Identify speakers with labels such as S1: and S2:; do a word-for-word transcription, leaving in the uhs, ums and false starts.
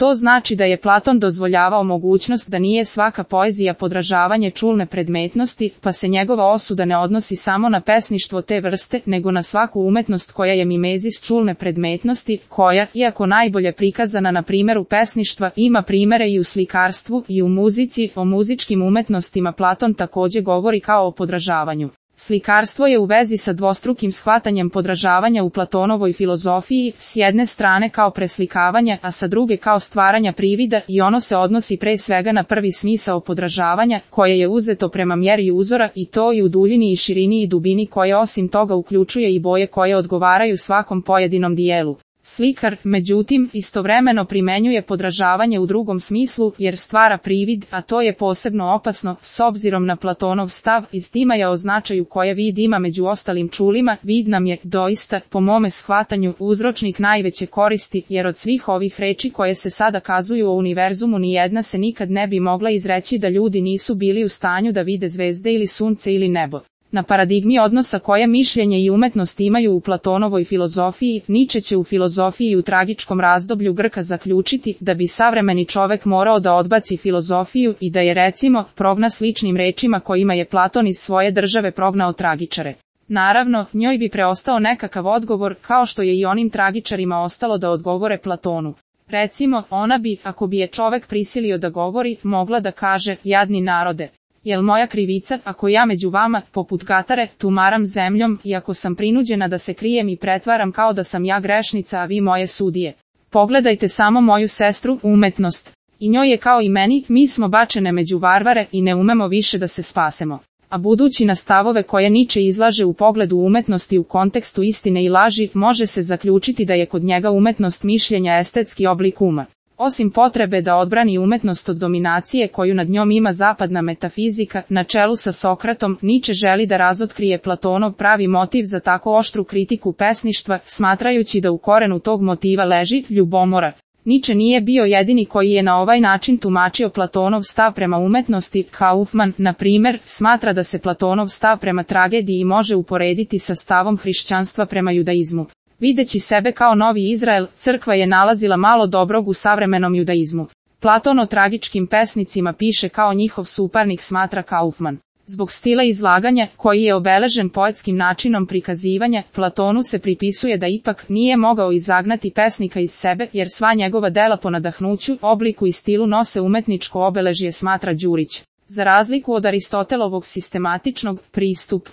S1: To znači da je Platon dozvoljavao mogućnost da nije svaka poezija podražavanje čulne predmetnosti, pa se njegova osuda ne odnosi samo na pesništvo te vrste, nego na svaku umetnost koja je mimezis čulne predmetnosti, koja, iako najbolje prikazana na primjeru pesništva, ima primere i u slikarstvu i u muzici. O muzičkim umetnostima Platon također govori kao o podražavanju. Slikarstvo je u vezi sa dvostrukim shvatanjem podražavanja u Platonovoj filozofiji, s jedne strane kao preslikavanja, a sa druge kao stvaranja privida, i ono se odnosi pre svega na prvi smisao podražavanja, koje je uzeto prema mjeri uzora, i to i u duljini i širini i dubini, koje osim toga uključuje i boje koje odgovaraju svakom pojedinom dijelu. Slikar, međutim, istovremeno primenjuje podražavanje u drugom smislu, jer stvara privid, a to je posebno opasno, s obzirom na Platonov stav iz Timaja o značaju koje vid ima među ostalim čulima. Vid nam je, doista, po mome shvatanju, uzročnik najveće koristi, jer od svih ovih reči koje se sada kazuju o univerzumu nijedna se nikad ne bi mogla izreći da ljudi nisu bili u stanju da vide zvezde ili sunce ili nebo. Na paradigmi odnosa koje mišljenje i umetnost imaju u Platonovoj filozofiji, Niče će u filozofiji u tragičkom razdoblju Grka zaključiti da bi savremeni čovek morao da odbaci filozofiju i da je, recimo, progna sličnim rečima kojima je Platon iz svoje države prognao tragičare. Naravno, njoj bi preostao nekakav odgovor, kao što je i onim tragičarima ostalo da odgovore Platonu. Recimo, ona bi, ako bi je čovek prisilio da govori, mogla da kaže: jadni narode, jel moja krivica, ako ja među vama, poput Katare, tumaram zemljom, i ako sam prinuđena da se krijem i pretvaram kao da sam ja grešnica, a vi moje sudije? Pogledajte samo moju sestru, umetnost. I njoj je kao i meni, mi smo bačene među varvare i ne umemo više da se spasemo. A budući na stavove koje Niče izlaže u pogledu umetnosti u kontekstu istine i laži, može se zaključiti da je kod njega umetnost mišljenja estetski oblik uma. Osim potrebe da odbrani umetnost od dominacije koju nad njom ima zapadna metafizika, na čelu sa Sokratom, Niče želi da razotkrije Platonov pravi motiv za tako oštru kritiku pesništva, smatrajući da u korenu tog motiva leži ljubomora. Niče nije bio jedini koji je na ovaj način tumačio Platonov stav prema umetnosti. Kaufman, na primjer, smatra da se Platonov stav prema tragediji može uporediti sa stavom hrišćanstva prema judaizmu. Videći sebe kao novi Izrael, crkva je nalazila malo dobrog u savremenom judaizmu. Platon o tragičkim pesnicima piše kao njihov suparnik, smatra Kaufman. Zbog stila izlaganja, koji je obeležen poetskim načinom prikazivanja, Platonu se pripisuje da ipak nije mogao izagnati pesnika iz sebe, jer sva njegova dela po nadahnuću, obliku i stilu nose umetničko obeležje, smatra Đurić. Za razliku od Aristotelovog sistematičnog pristup